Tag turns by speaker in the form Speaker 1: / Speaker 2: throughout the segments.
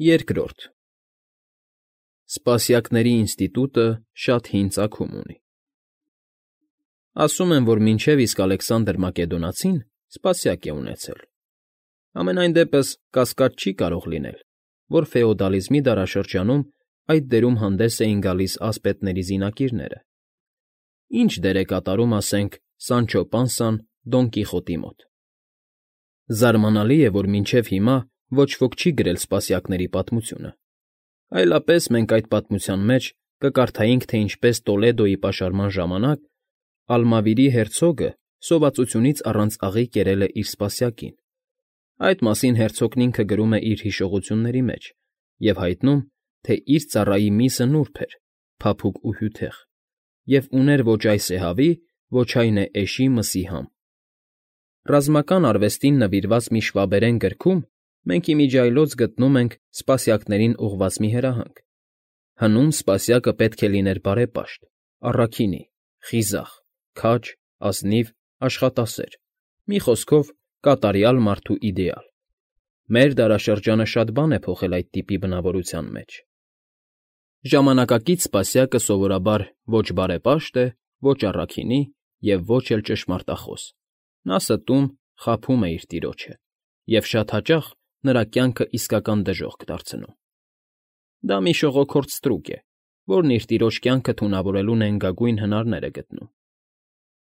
Speaker 1: Երկրորդ Սպասյակների ինստիտուտը շատ հին ծագում ունի։ Ասում են, որ մինչև իսկ Ալեքսանդր Մակեդոնացին սպասյակ է ունեցել։ Համենայն դեպս կասկած չի կարող լինել, որ ֆեոդալիզմի դարաշրջանում այդ դերում հանդես էին գալիս ասպետների զինակիրները։ Ինչ դեր է կատարում, ասենք, Սանչո Պանսան Դոն Կիխոտի մոտ։ Զարմանալի է, որ մինչև հիմա ոչ ոք չի գրել սպասյակների պատմությունը, այլապես մենք այդ պատմության մեջ կկարդայինք, թե ինչպես Տոլեդոյի պաշարման ժամանակ Ալմավիրի հերցոգը սովածությունից առանց աղի կերել է իր սպասյակին։ Այդ մասին հերցոգն ինքը գրում է իր հիշողությունների մեջ և հայտնում, թե իր ծառայի միսը նուրբ էր, փափուկ ու հյութեղ, և ուներ ոչ այս է հավի, ոչ այն է էշի մսի համ։ Ռազմական արվեստին նվիրված մի շվաբերեն գրքում մենք ի միջի այլոց գտնում ենք սպասյակներին ուղղված մի հրահանգ։ Հնում սպասյակը պետք է լիներ բարեպաշտ, առաքինի, խիզախ, քաջ, ազնիվ, աշխատասեր, մի խոսքով կատարյալ մարդու իդեալ։ Մեր դարաշրջանը շատ բան է փոխել այդ տիպի բնավորության մեջ։ Ժամանակակից սպասյակը սովորաբար ոչ բարեպաշտ է, ոչ առաքինի և ոչ էլ ճշմարտախոս։ Նա ստում, խաբում է իր տիրոջը և շատ հաճախ նրա կյանքը իսկական դժոխք դարձնում։ Դա մի շողոքորթ ստրուկ է, որն իր տիրոջ կյանքը թունավորելու նենգագույն հնարներ է գտնում։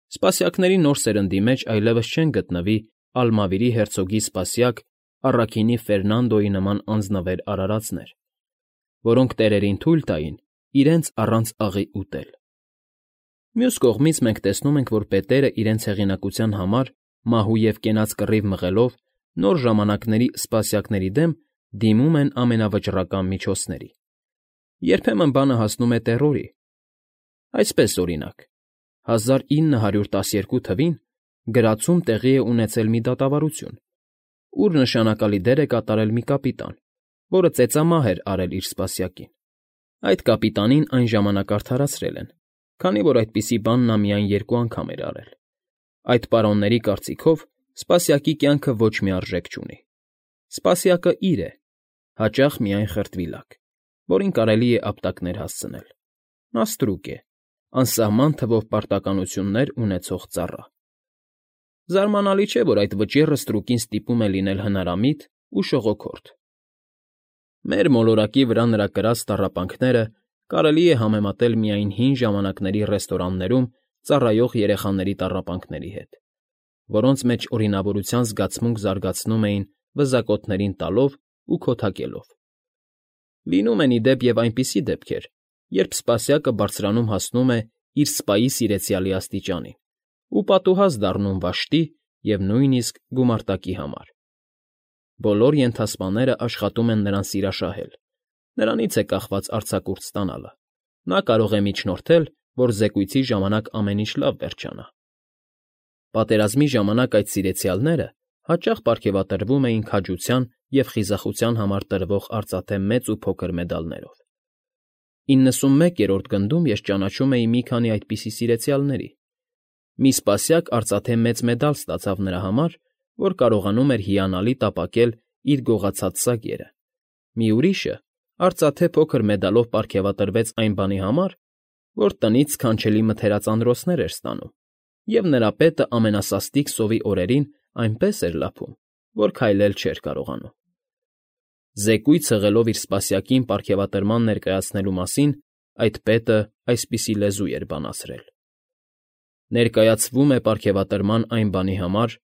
Speaker 1: Սպասյակների նոր սերնդի մեջ այլևս չեն գտնվի Ալմավիրի հերցոգի սպասյակ առաքինի Ֆերնանդոյի նման անձնվեր արարածներ, որոնք տերերին թույլ տային իրենց առանց աղի ուտել։ Մյուս կողմից մենք տեսնում ենք, որ պետերը իրենց հեղինակության համար մահու և կենաց կռիվ մղելով նոր ժամանակների սպասյակների դեմ դիմում են ամենավճռական միջոցների։ Երբեմն բանը հասնում է տեռորի։ Այսպես, օրինակ, 1912 թվին գրացում տեղի է ունեցել մի դատավարություն, ուր նշանակալի դեր է կատարել մի կապիտան, որը ծեծամահ էր արել իր սպասյակին։ Այդ կապիտանին այն ժամանակ արդարացրել են, քանի որ այդպիսի բան նա միայն 2 անգամ էր արել։ Այդ պարոնների կարծիքով սպասյակի կյանքը ոչ մի արժեք չունի։ Սպասյակը իր է, հաճախ միայն խրտվիլակ, որին կարելի է ապտակներ հասցնել։ Նա ստրուկ է, անսահման թվով պարտականություններ ունեցող ծառա։ Զարմանալի չէ, որ այդ վճիռը ստրուկին ստիպում է լինել հնարամիտ ու շողոքորթ։ Մեր մոլորակի վրա նրա կրած տառապանքները կարելի է համեմատել միայն հին ժամանակների ռեստորաններում ծառայող երեխաների տառապանքների հետ, որոնց մեջ օրինավորության զգացմունք զարգացնում էին վզակոթներին տալով ու քոթակելով։ Լինում են, ի դեպ, և այնպիսի դեպքեր, երբ սպասյակը բարձրանում հասնում է իր սպայի սիրեցյալի աստիճանին ու պատուհաս դառնում վաշտի և նույնիսկ գումարտակի համար։ Բոլոր ենթասպաները աշխատում են նրան սիրաշահել, նրանից է կախված արձակուրդ ստանալը։ Նա կարող է միջնորդել, որ զեկույցի ժամանակ ամեն ինչ լավ վերջանա։ Պատերազմի ժամանակ այդ սիրեցյալները հաճախ պարգևատրվում էին քաջության և խիզախության համար տրվող արծաթե մեծ ու փոքր մեդալներով։ 91-րդ գնդում ես ճանաչում էի մի քանի այդպիսի սիրեցյալների։ Մի սպասյակ արծաթե մեծ մեդալ ստացավ նրա համար, որ կարողանում էր հիանալի տապակել իր գողացած սագերը։ Մի ուրիշը արծաթե փոքր մեդալով պարգևատրվեց այն բանի համար, որ տնից սքանչելի մթերածանրոցներ էր ստանում, և նրա պետը ամենասաստիկ սովի օրերին այնպես էր լափում, որ քայլել չէր կարողանում։ Զեկույց հղելով իր սպասյակին պարգևատրման ներկայացնելու մասին, այդ պետը այսպիսի լեզու էր բանացրել. «Ներկայացվում է պարգևատրման այն բանի համար,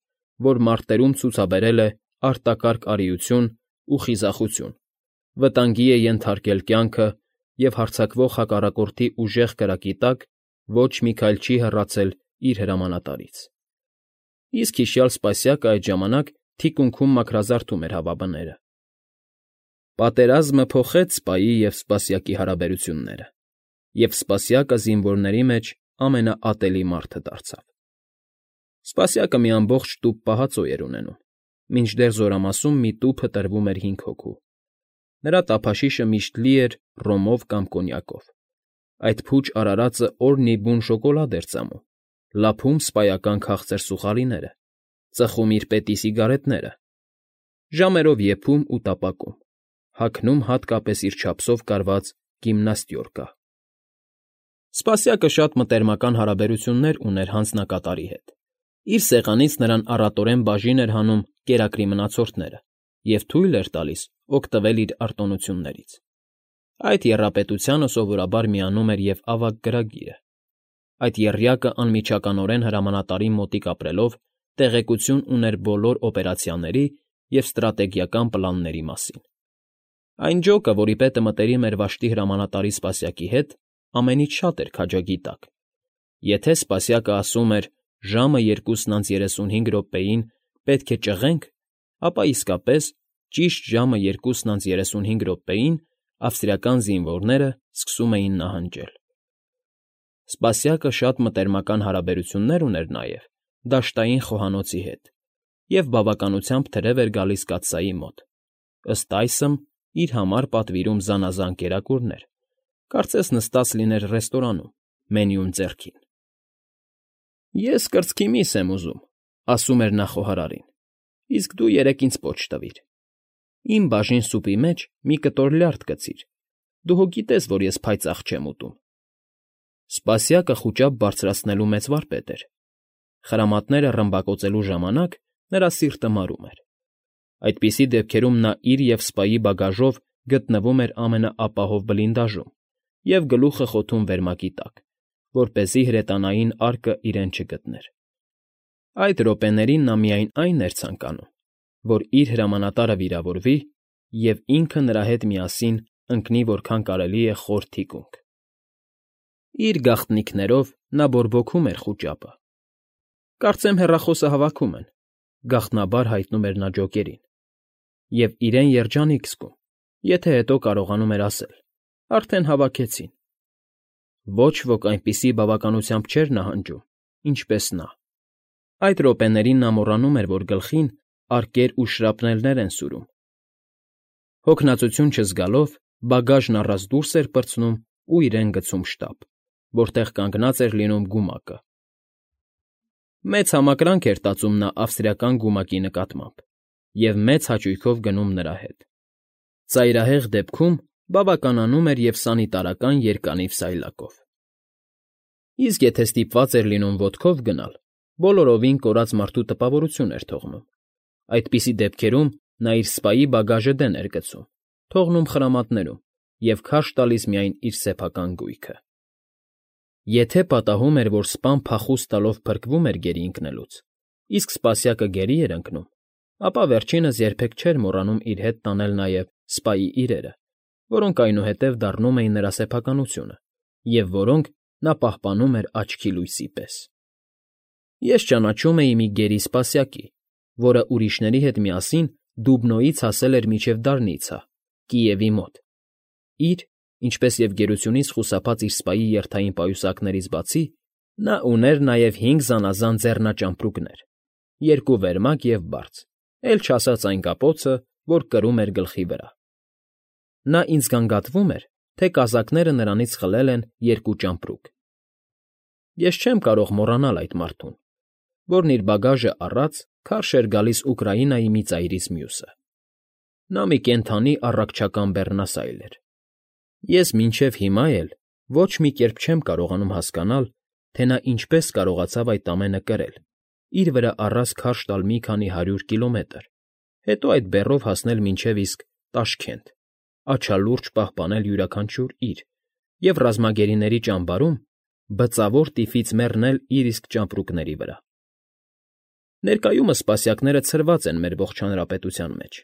Speaker 1: որ մարտերում ցուցաբերել է արտակարգ արիություն ու խիզախություն, վտանգի է ենթարկել կյանքը և հարձակվող հակառակորդի ուժեղ կրակի տակ ոչ մի քայլ չի հեռացել իր հրամանատարից»։ Իսկ հիշյալ սպասյակը այդ ժամանակ թիկունքում մաքրազարդում էր հավաբները։ Պատերազմը փոխեց սպայի և սպասյակի հարաբերությունները, և սպասյակը զինվորների մեջ ամենաատելի մարդը դարձավ։ Սպասյակը մի ամբողջ տուփ պահածոյ էր ունենում, մինչդեռ զորամասում մի տուփը տրվում էր 5 հոգու։ Նրա տափաշիշը միշտ լի էր ռոմով կամ կոնյակով։ Այդ փուչ արարածը օրն ի բուն շոկոլադ էր ծամում, լափում սպայական քաղցր սուխալիները, ծխում իր պետի սիգարետները, ժամերով եփում ու տապակում, հագնում հատկապես իր չափսով կարված գիմնաստյորկա։ Սպասյակը շատ մտերմական հարաբերություններ ուներ հանձնակատարի հետ։ Իր սեղանից նրան առատորեն բաժին էր հանում կերակրի մնացորդները և թույլ էր տալիս օգտվել իր արտոնություններից։ Այդ եռապետությանը սովորաբար միանում էր և ավագ գրագիրը։ Այդ եռյակը անմիջականորեն հրամանատարի մոտիկ ապրելով տեղեկություն ուներ բոլոր օպերացիաների և ստրատեգիական պլանների մասին։ Այն ջոկը, որի պետը մտերիմ էր վշտի հրամանատարի սպասյակի հետ, ամենից շատ էր քաջագիտակ։ Եթե սպասյակը ասում էր ժամը 2:35 պետք է ճղենք, ապա իսկապես ճիշտ ժամը 2:35 ավստրիական զինվորները սկսում էին նահանջել։ Սպասյակը շատ մտերմական հարաբերություններ ուներ նաև դաշտային խոհանոցի հետ և բավականությամբ թրև էր գալիս կաթսայի մոտ, ըստ այսմ իր համար պատվիրում զանազան կերակուրներ, կարծես նստած լիներ ռեստորանում, մենյուն ձեռքին։ «Ես կրծքի միս եմ ուզում,֊ ասում էր նա խոհարարին,֊ իսկ դու երեկ ինձ պոչ տվիր։ Իմ բաժին սուպի մեջ մի կտոր լյարդ գցիր, դու հո գիտես, որ ես փայծաղ չեմ ուտում»։ Սպասյակը խուճապ բարձրացնելու մեծ վարպետ էր։ Խրամատները ռմբակոծելու ժամանակ նրա սիրտը մարում էր։ Այդպիսի դեպքերում նա իր և սպայի բագաժով գտնվում էր ամենաապահով բլինդաժում և գլուխը խոթում վերմակի տակ, որպեսզի հրետանային արկը իրեն չգտներ։ Այդ րոպեներին նա միայն այն էր ցանկանում, որ իր հրամանատարը վիրավորվի և ինքը նրա հետ միասին ընկնի որքան կարելի է խոր թիկունք։ Իր գաղտնիքներով նա բորբոքում էր խուճապը։ «Կարծեմ հեռախոսը հավաքում են,֊ գաղտնաբար հայտնում էր նա ջոկերին,֊ և իրեն երջանիկ զգում, եթե հետո կարողանում էր ասել. արդեն հավաքեցին»։ Ոչ ոք այնպիսի բավականությամբ չէր նահանջում, ինչպես նա։ Այդ րոպեներին նա մոռանում էր, որ գլխին արկեր ու շրապնելներ են սուրում։ Հոգնածություն չզգալով բագաժն առած դուրս էր պրծնում ու իրեն գցում շտապ, որտեղ կանգնած էր լինում գումակը։ Մեծ համակրանք էր տածում նա ավստրիական գումակի նկատմամբ և մեծ հաճույքով գնում նրա հետ։ Ծայրահեղ դեպքում բավականանում էր և սանիտարական երկանիվ սայլակով։ Իսկ եթե ստիպված էր լինում ոտքով գնալ, բոլորովին կորած մարդու տպավորություն էր թողնում։ Այդպիսի դեպքերում նա իր սպայի բագաժը դեն էր գցում, թողնում խրամատներում և քարշ տալիս միայն իր սեփական գույքը։ Եթե պատահում էր, որ սպան փախուստ տալով փրկվում էր գերի ընկնելուց, իսկ սպասյակը գերի էր ընկնում, ապա վերջինս երբեք չէր մոռանում իր հետ տանել նաև սպայի իրերը, որոնք այնուհետև դառնում էին նրա սեփականությունը և որոնք նա պահպանում էր աչքի լույսի պես։ Ես ճանաչում էի մի գերի սպասյակի, որը ուրիշների հետ միասին Դուբնոյից հասել էր մինչև Դարնիցա, Կիևի մոտ։ Իր, ինչպես և գերությունից խուսափած իր սպայի երթային պայուսակներից բացի, նա ուներ նաև 5 զանազան ձեռնաճամպրուկներ, 2 վերմակ և բարձ, էլ չասած այն կապոցը, որ կրում էր գլխի վրա։ Նա ինձ գանգատվում էր, թե կազակները նրանից խլել են 2 ճամպրուկ։ Ես չեմ կարող մոռանալ այդ մարդուն, որն իր բագաժը առած քարշ էր գալիս Ուկրաինայի մի ծայրից մյուսը։ Նա մի կենդանի առաքչական բեռնասայլ էր։ Ես մինչև հիմա էլ ոչ մի կերպ չեմ կարողանում հասկանալ, թե նա ինչպես կարողացավ այդ ամենը կրել, իր վրա առած քարշ տալ մի քանի 100 կիլոմետր, հետո այդ բեռով հասնել մինչև իսկ Տաշքենտ, աչալուրջ պահպանել յուրաքանչյուր իր և ռազմագերիների ճամբարում բծավոր տիֆից մեռնել իր իսկ ճամպրուկների վրա։ Ներկայումս սպասյակները ցրված են մեր ողջ հանրապետության մեջ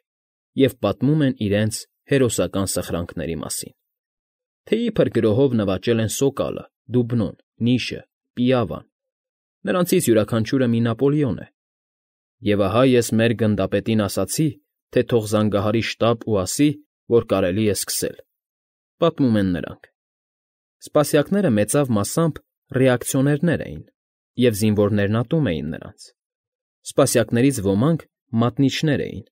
Speaker 1: և պատմում են իրենց հերոսական սխրանքների մասին, թե իբր գրոհով նվաճել են Սոկալը, Դուբնոն, Նիշը, Պիավան, նրանցից յուրաքանչյուրը մի Նապոլեոն է։ Եվ ահա ես մեր գնդապետին ասացի, թե թող զանգահարի շտապ ու ասի, որ կարելի է սկսել, պատմում են նրանք։ Սպասյակները մեծավ մասամբ ռեակցիոներներ էին, և զինվորներն ատում էին նրանց։ Սպասյակներից ոմանք մատնիչներ էին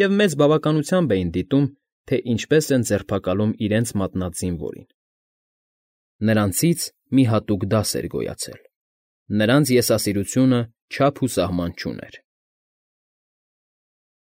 Speaker 1: և մեծ բավականությամբ էին դիտում, թե ինչպես են ձերբակալում իրենց մատնած զինվորին։ Նրանցից մի հատուկ դաս էր գոյացել։ Նրանց եսասիրությունը չափ ու սահման չուներ։